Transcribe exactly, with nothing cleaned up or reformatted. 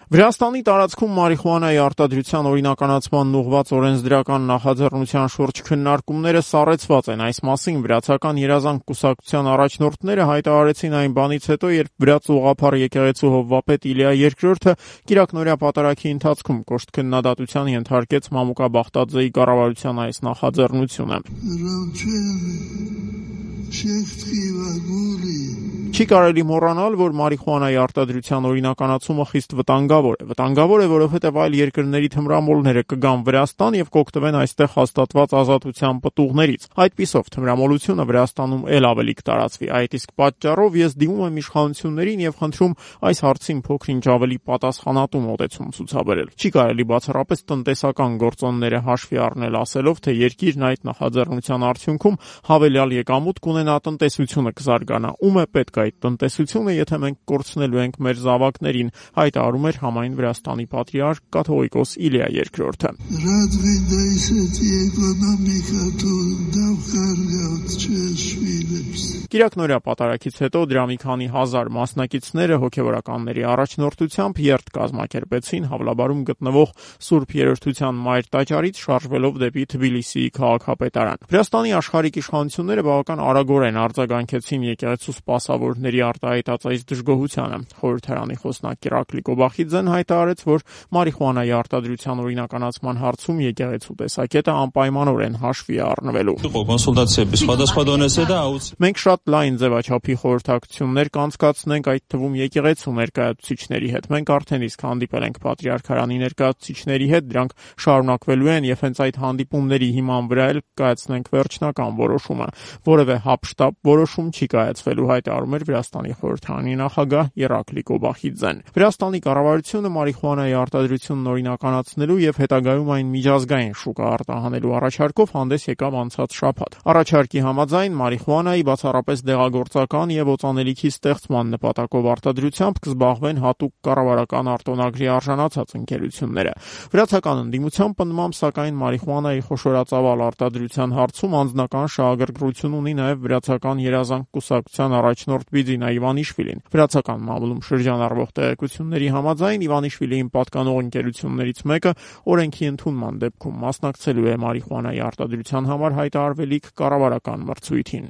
Վրաստանի տարածքում մարիխուանայի արտադրության օրինականացման ուղղված օրենսդրական նախաձեռնության շուրջ քննարկումները սառեցված են։ Այս մասին վրացական երազանք կուսակցության առաջնորդները հայտարարեցին այն բանից հետո, երբ վրաց ուղղափառ եկեղեցու հովվապետ Իլիա երկրորդը կիրակնօրյա պատարագի ընթացքում կոշտ քննադատության ենթարկեց Մամուկա Բախտաձեի կառավարության այս նախաձեռնությունը։ Չի կարելի մոռանալ, որ մարիխուանայի արտադրության օրինականացումը խիստ վտանգավոր է։ Վտանգավոր է, որովհետև այլ երկրների թմրամոլները կգան Վրաստան եւ կօգտվեն այստեղ հաստատված ազատության պտուղներից։ Այդպիսով թմրամոլությունը Վրաստանում ել ավելի կտարածվի։ Այդ իսկ պատճառով ես դիմում եմ իշխանություններին եւ խնդրում այս հարցին փոքր-ինչ ավելի պատասխանատու մոտեցում ցուցաբերել։ Չի կարելի բացառապես տնտեսական գործոնները հաշվի առնել, ասելով, թե երկիրն այդ նախաձեռնության արդյունքում հավելյալ եկամուտ կունենա, տնտեսությունը կզարգանա։ Ում է պետք այդ տնտեսությունը, եթե մենք կորցնելու ենք մեր զավակներին, հայտարարում էր համայն Վրաստանի պատրիարք կաթողիկոս Իլիա երկրորդը։ Կիրակնօրյա պատարագից հետո դրա մի քանի հազար մասնակիցները հոգևորականների առաջնորդությամբ երթ կազմակերպեցին Հավլաբարում գտնվող Սուրբ Երրորդության Մայր տաճարից շարժվելով դեպի Թբիլիսիի քաղաքապետարան։ Վրաստանի աշխարհիկ իշխանությունները բավական արագորեն արձագանքեցին եկեղեցու սպասավորների արտահայտած այս դժգոհությանը։ Խորհրդարանի խոսնակ Իրակլի Կոբախիձեն հայտարարեց, որ մարիխուանայի արտադրության օրինականացման հարցում եկեղեցու տեսակետը անպայմանորեն հաշվի է առնվելու։ Մենք շատ լայն ձևաչափի խորհրդակցություններ կանցկացնենք, այդ թվում եկեղեցու ներկայացուցիչների հետ։ Մենք արդեն իսկ հանդիպել ենք Պատրիարքարանի ներկայացուցիչների հետ, դրանք շարունակվելու են եւ հենց այդ հանդիպումների հիման վրա էլ կայացնենք վերջնական որոշումը։ Որևէ հապշտապ որոշում չի կայացվելու, հայտարարում էր Վրաստանի խորհրդարանի նախագահ Իրակլի Կոբախիձեն։ Վրաստանի կառավարությունը մարիխուանայի արտադրությունն օրինականացնելու եւ հետագայում այն միջազգային շուկա արտահանելու առաջարկով հանդես եկավ անցած շաբաթ։ Առաջարկի համաձայն մարիխուանայի բացառապես դեղագործական եւ օծանելիքի ստեղծման նպատակով արտադրությամբ կզբաղվեն հատուկ կառավարական արտոնագրի արժանացած ընկերությունները։ Վրացական ընդդիմության պնդմամբ, սակայն մարիխուանայի խոշորածավալ արտադրության հարցում անձնական շահագրգռություն ունի նաեւ վրացական երազանք կուսակցության առաջնորդ Բիձինա Իվանիշվիլին։ Վրացական մամուլում շրջանառվող տեղեկությունների համաձայն Իվանիշվիլիին պատկանող ընկերություններից մեկը օրենքի ընդունման դեպքում մասնակցելու է մարիխուանայի արտադրության համար հայտարարվելիք կառավարական մրցույթին։